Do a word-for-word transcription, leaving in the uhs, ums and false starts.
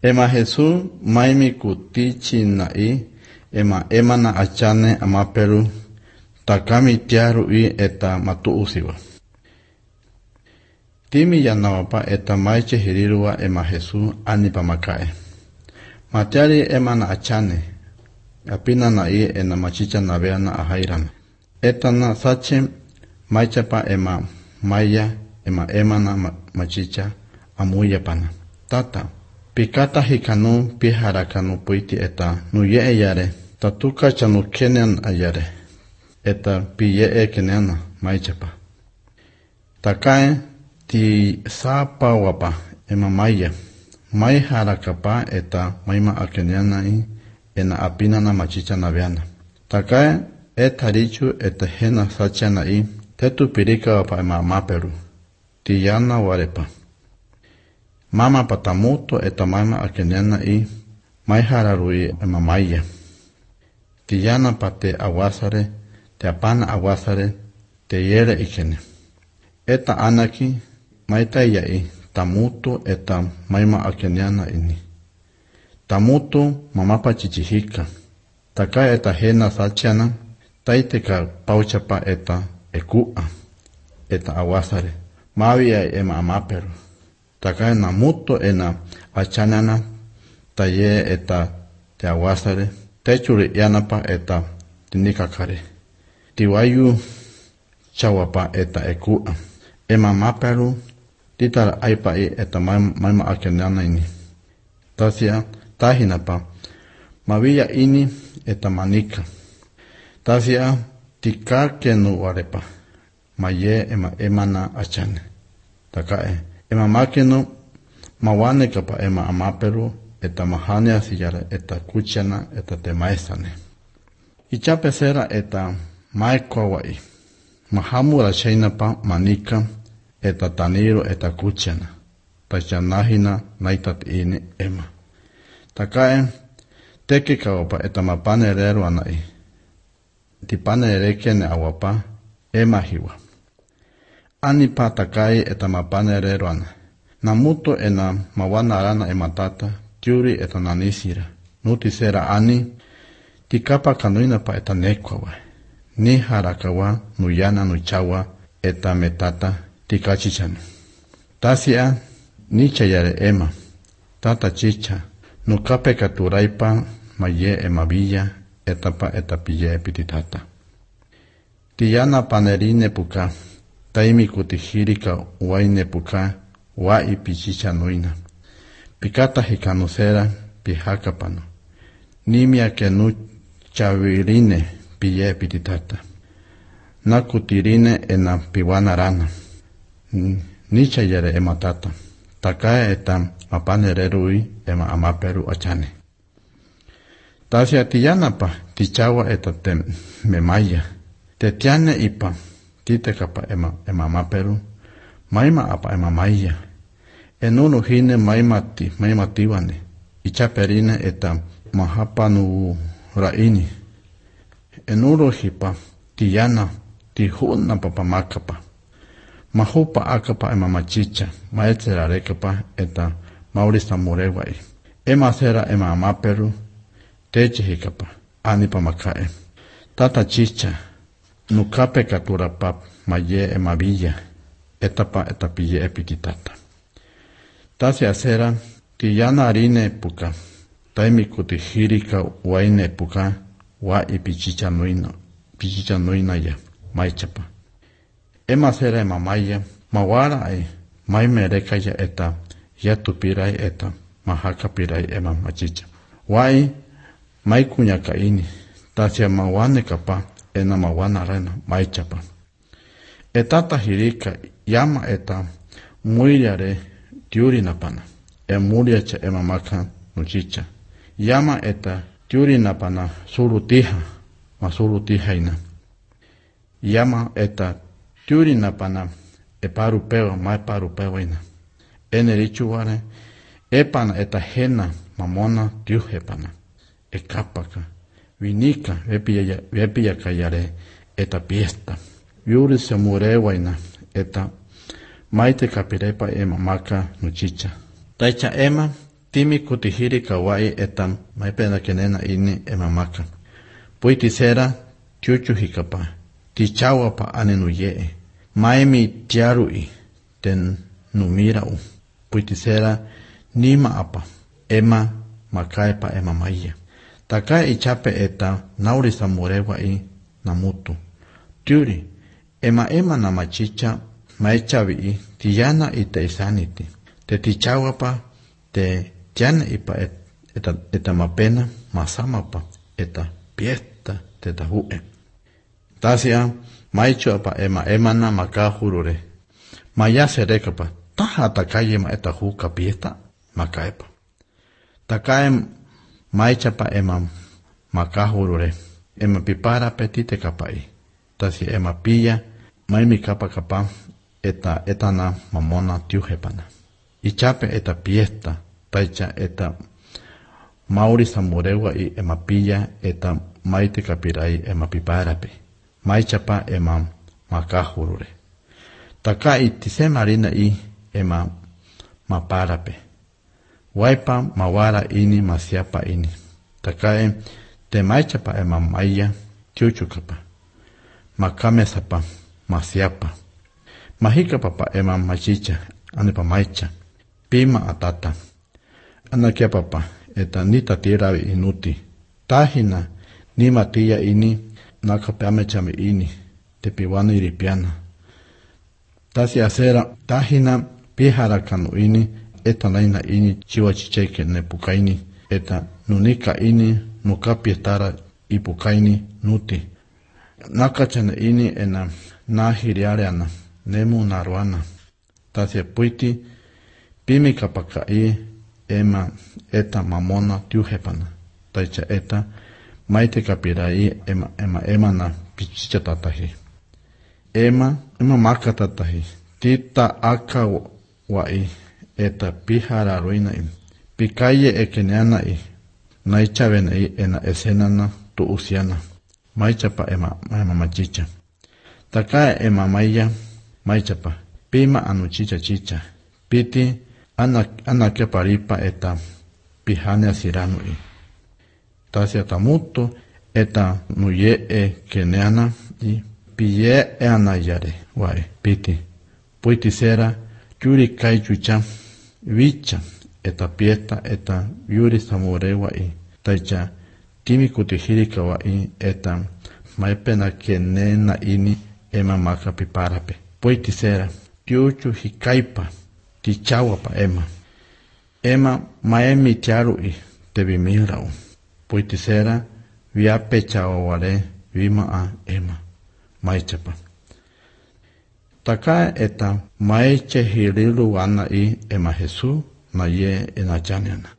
Ema Jesús maimi kutichi nai ema ema na achane ama Peru takami tiaru i eta matu usiwa. Timi yanawapa eta maiche hirirua ema Jesús anipa makae. Matiari ema na achane apina na i ena machicha na vea na ahairan. Eta na sache maichapa ema maya ema ema na machicha amuya pana. Tata. Pikata hikanu piharakanu puiti eta nuye eyare tatuka chanu kenen ayare eta piye e kenena maichapa. Takae ti sapa wapa ema maya mai harakapa eta maima akenena i ena apina na machicha na veana. Takae eta richu eta hena sachana i tetu pirika wapa ema maperu ti yana warepa. Mama patamuto eta mama akenena i mai hararui ema maya. Tiyana pate awasare, te apana awasare, te yere ikene. Eta anaki maita iya i tamuto eta maima akenena ini. Tamuto mamapa chichihika. Taka eta hena sachana, taiteka pauchapa eta ekua. Eta awasare. Mawi ya ema amaperu. Taka na muto ena achanana taye eta te awasare techuri yanapa eta tinikakare tiwayu chawapa eta ekua ema maperu titara aipa i eta maima akenana ini tasia tahinapa mawiya ini eta manika tasia tikakenu warepa maye ema emana achane takae ema makeno mawane kapa ema amaperu eta mahane asiyara eta kuchana eta temaesane. Ichape sera eta maekawai. Mahamura shainapa manika eta taniro eta kuchana. Tachanahina naitat ini ema. Takae teke kawapa eta mapane rero anai. Tipane rekene awapa ema hiwa. Ani patakai eta mapane reroana. Namuto ena mawana arana ematata, tiuri eta nanisira. Nuti sera ani, tikapa kanuina pa eta nekwawa. Ni harakawa, nuyana nuchawa, eta metata, tikachichanu. Tasia, ni chayare ema. Tata chicha, nukape katuraipa, maye ema villa, etapa eta pille epititata. Tiyana panerine puka. Taimi kutihirika waine puka wa ipichicha nuina. Pikata hikanusera pihakapano. Nimia kenu chavirine piye pititata. Nakutirine ena piwana rana. Nicha yere ematata. Takae eta mapane rerui ema amaperu achane. Tasia tiyanapa tichawa eta te memaya. Tetiane ipa. Tite kapa ema ema maperu maima apa ema maya enunu hine maimati maimatiwane ichaperine eta mahapanu raini enuru hipa tiyana tihuna papa makapa mahupa akapa ema machicha maetsera rekapa eta maurista morewai ema sera ema maperu teche hikapa anipa makae tata chicha nukape katura pap maye ema villa etapa etapiye epititata. Tasi asera tiyana arine puka taimi kutihirika waine puka wa ipichicha nuino pichicha nuina ya maichapa. Ema sera ema maya mawara ai maime rekaya eta yatupirai eta mahakapirai ema machicha. Wai maikunya kaini tasi mawane kapa ena mawana rena maichapa. Etata hirika yama eta muiriare tiuri napana. E muriacha ema maka nuchicha. Yama eta tiuri napana surutiha ma surutiha ina. Yama eta tiuri napana e parupeo ma parupeo ina. Ene richuare epana eta hena mamona tiuhepana. E kapaka. Vinika vepia vepia kayare eta piesta. Yuri se murewaina eta maite kapirepa ema maka nuchicha. Taicha ema timi kutihiri kawai etam maipena kenena ini emamaka. Puitisera tiuchu hikapa, tichawapa anenuyee, maimi tiarui, ten numirau. Puitisera nima apa, ema makaepa ema maya. Taka ichape eta nauri samurewa i namutu. Tiuri, ema ema na machicha maechavi i tiyana ita isaniti. Te tichawapa, te tiana ipa et, eta, eta mapena, masamapa, eta piesta, te tahue. Tasia, maichu apa ema ema na makahurure. Maya serekapa, taha takaye ma eta huka piesta, makaepa. Takaem maichapa ema makahurure. Ema pipara petite kapai. Tasi ema pilla, maimi kapa kapa, eta etana mamona tiujepana. Ichape eta piesta, taicha eta mauri samurewa i ema pilla, eta maite kapirai ema piparape. Maichapa ema makahurure. Taka itise marina i ema maparape. Waipa mawara ini masiapa ini. Takae te maichapa ema maya tiuchukapa. Makame sapa masiapa. Mahika papa ema machicha anipa maicha. Pima atata. Anakia papa eta nita tiravi inuti. Tahina ni matia ini nakapeame chame ini. Te piwana iripiana. Tasi asera tahina pihara kanu ini. Eta naina ini chiwa chicheke ne pukaini. Eta nunika ini nukapietara ipukaini nuti. Nakachane ini ena nahiriareana. Nemu naruana. Tasia puiti pimi kapakai ema eta mamona tiujepana. Taicha eta maite kapirai ema ema ema na pichicha tatahi. Ema ema maka tatahi. Tita aka wai eta pihara ruina i. Pikaye ekeneana i. Naichavena i ena esenana tu usiana. Maichapa ema ema machicha. Takaya ema maya maichapa. Pima anu chicha chicha. Piti ana ana ke paripa eta pihane asiranu i. Tasia tamuto eta nuye e keneana i. Piye e anayare wae piti. Puiti sera yuri kai chucha vicha eta pieta eta yuri samurewa i. Taicha timi kutihirika wa i eta maipena kenena ini ema maka piparape. Puiti sera tiuchu hikaipa tichawapa ema. Ema maemi tiaru i tebi mirau. Puiti sera viape chawaware vima a ema. Maichapa. Taka eta maiche hirilu wana i ema Jesu na ye enachaniana.